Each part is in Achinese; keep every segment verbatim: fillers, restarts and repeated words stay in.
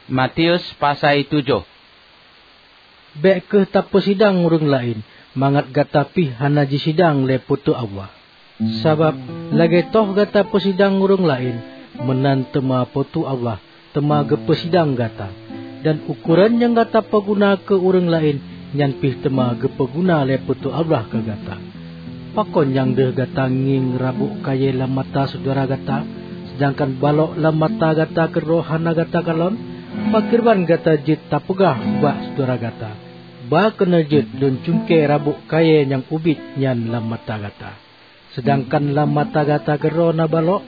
Matius pasai tujoh. Bék kheueh tapeusidang ureuëng laén, mangat gata pih hana jisidang lé Po teu Allah. Sabab, lagée toh gata peusidang ureuëng laén, meunan teuma Po teu Allah teuma geupeusidang gata. Dan ukoran nyang gata peuguna keu ureuëng laén, nyan pih teuma geupeuguna lé Po teu Allah keu gata. Pakon nyang deuh gata ngieng rabôk kayée lam mata syedara gata, seudangkan balok lam mata gata keudroe hana gata kalon? Pakriban gata jeuet tapeugah ubak syedara gata, "Ba keunoe jeuet lôn cungke rabôk kayée nyang ubit nyan lam mata gata," seudangkan lam mata gata keudroe na balok?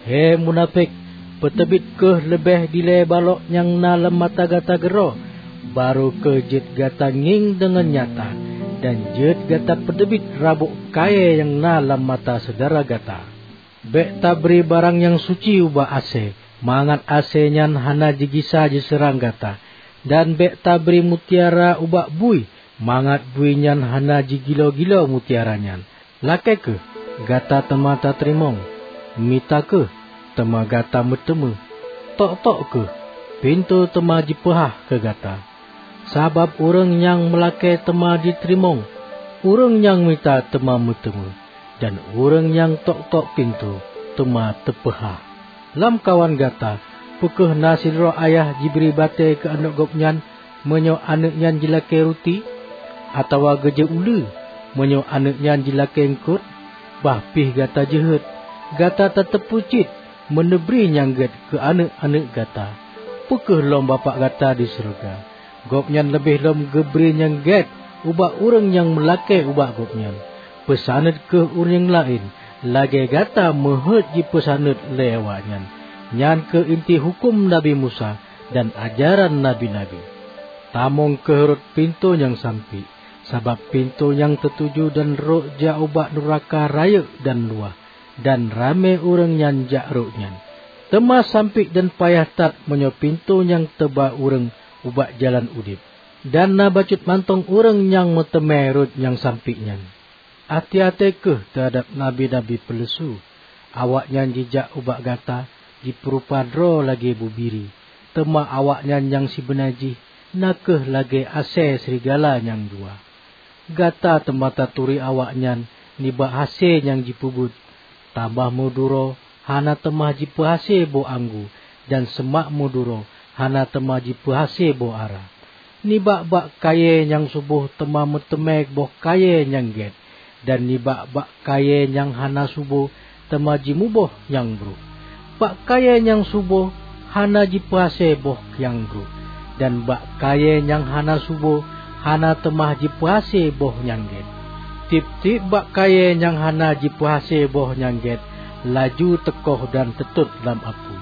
He munafék, peuteubiet kheueh leubeh dilée balok nyang na lam mata gata keudroe, barô kheueh jeuet gata ngieng deungon nyata, dan jeuet gata peuteubiet rabôk kayée nyang na lam mata syedara gata. Bék tabri barang nyang suci ubak asée, mangat asée nyan hana jigisa jiseurang gata, dan bék tabri mutiara ubak bui, mangat bui nyan hana jigilo-gilo mutiara nyan. Lakée kheueh, gata teuma tateurimong; mita kheueh, teuma gata meuteumé; tok-tok kheueh, pintoe teuma jipeuhah keu gata. Sabab ureuëng nyang meulakée teuma jiteurimong, ureuëng nyang mita teuma meuteumé, dan ureuëng nyang tok-tok pintoe teuma teupeuhah. Lamkawan gata, peu kheueh na sidroe ayah jibri batée keu aneuëk gobnyan meunyoe aneuëk nyan jilakée ruti? Atawa geujok uleue meunyoe aneuëk nyan jilakée eungkot? Bah pih gata jeuhet! Gata tateupeue cit meuneubri nyang gét keu aneuëk-aneuëk gata. Peu kheueh lom Bapak gata di syeuruga? Gobnyan leubeh lom geubri nyang gét ubak ureuëng nyang meulakée ubak Gobnyan. Peusaneut kheueh ureuëng laén, lagée gata meuheuét jipeusaneut lé awaknyan. Nyan kheueh inti huköm Nabi Musa dan ajaran nabi-nabi. Tamong kheueh rot pintoe nyang sampik, sabab pintoe nyang teutuju dan rot jak ubak nuraka rayeuk dan luwah, dan ramé ureuëng nyang jak rot nyan. Teuma sampik dan payah that meunyoe pintoe nyang teuba ureuëng ubak jalan udeb, dan na bacut mantong ureuëng nyang meuteumé rot nyang sampik nyan. Até-até kheueh teuhadab nabi-nabi peuleusu! Awaknyan jijak ubak gata jipeurupa droe lagée bubiri, teuma awaknyan nyang sibeuna jih na kheueh lagée asée seurigala nyang dua. Gata teuma taturi awaknyan nibak hasé nyang jipeubuet. Tabah meuduro hana teuma jipeuhasé boh anggô, dan seumak meuduro hana teuma jipeuhasé boh ara. Nibak bak kayée nyang suboh teuma meuteumé boh kayée nyang gét, dan nibak bak kayée nyang hana suboh teuma jimuboh nyang brok. Bak kayée nyang suboh hana jipeuhasé boh nyang brok, dan bak kayée nyang hana suboh hana teuma jipeuhasé boh nyang gét. Tieb-tieb bak kayée nyang hana jipeuhasé boh nyang gét laju teukoh dan teutot lam apui.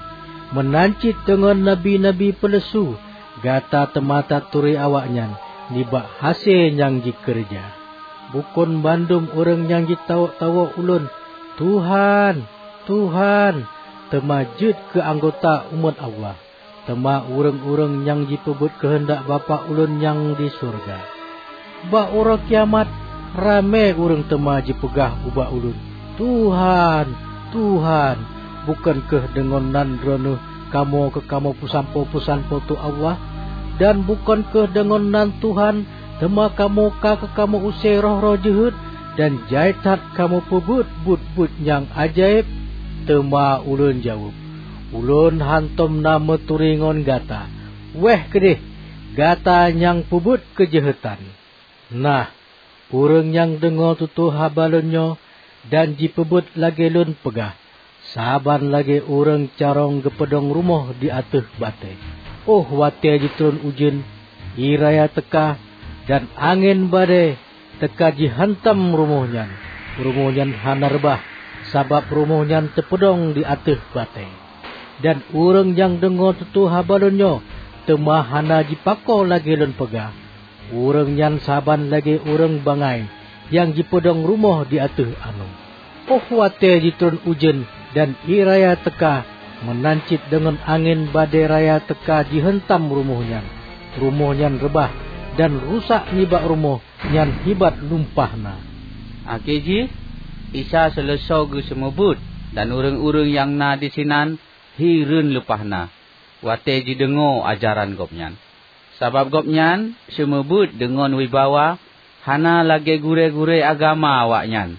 Meunan cit deungon nabi-nabi peuleusu, gata teuma taturi awaknyan nibak hasé nyang jikeureuja. Bukon bandum ureuëng nyang jitawök-tawök Ulôn, "Tuhan, Tuhan," teuma jeuet keu anggota umat Allah, teuma ureuëng-ureuëng nyang jipeubuet keuheundak Bapak Ulôn nyang di syeuruga. Bak uroe kiamat, ramé ureuëng teuma jipeugah ubak Ulôn, "Tuhan, Tuhan, bukon kheueh deungon nan Droeneueh kamoe keu kamoe peusampoe peusan Po teu Allah? Dan bukon kheueh deungon nan Tuhan teuma kamoe ka keu kamoe use roh-roh jeuhet, dan jai that kamoe peubuet buet-buet nyang ajaéb?" Teuma Ulôn jaweueb, "Ulôn hántom na meuturi ngon gata! Wéh keudeh, gata nyang peubuet keujeuhetan!" Nah, ureuëng nyang deungoe tutoe haba Lôn nyoe dan jipeubuet lagée Lôn peugah, saban lagée ureuëng carông geupeudong rumoh di ateueh batée. Óh watée jitron ujeuen, ie raya teuka, dan angén badée teuka jihantam rumoh nyan, rumoh nyan hana reubah, sabab rumoh nyan teupeudong di ateueh batée. Dan ureuëng nyang deungoe tutoe haba Lôn nyoe teuma hana jipako lagée Lôn peugah, ureuëng nyan saban lagée ureuëng bangai nyang jipeudong rumoh di ateueh anoe. Óh watée jitron ujeuen dan ie raya teuka, meunan cit deungon angén badée raya teuka jihantam rumoh nyan, rumoh nyan reubah dan rusak nibak rumoh nyan hibat lumpah na. Akhé jih, Isa seuleusoe geuseumeubeuet, dan ureuëng-ureuëng nyang na disinan hireuen lumpah na. watée jideungoe ajaran Gobnyan. Sabab Gobnyan seumeubeuet deungon wibawa, hana lagée gurée-gurée agama awaknyan.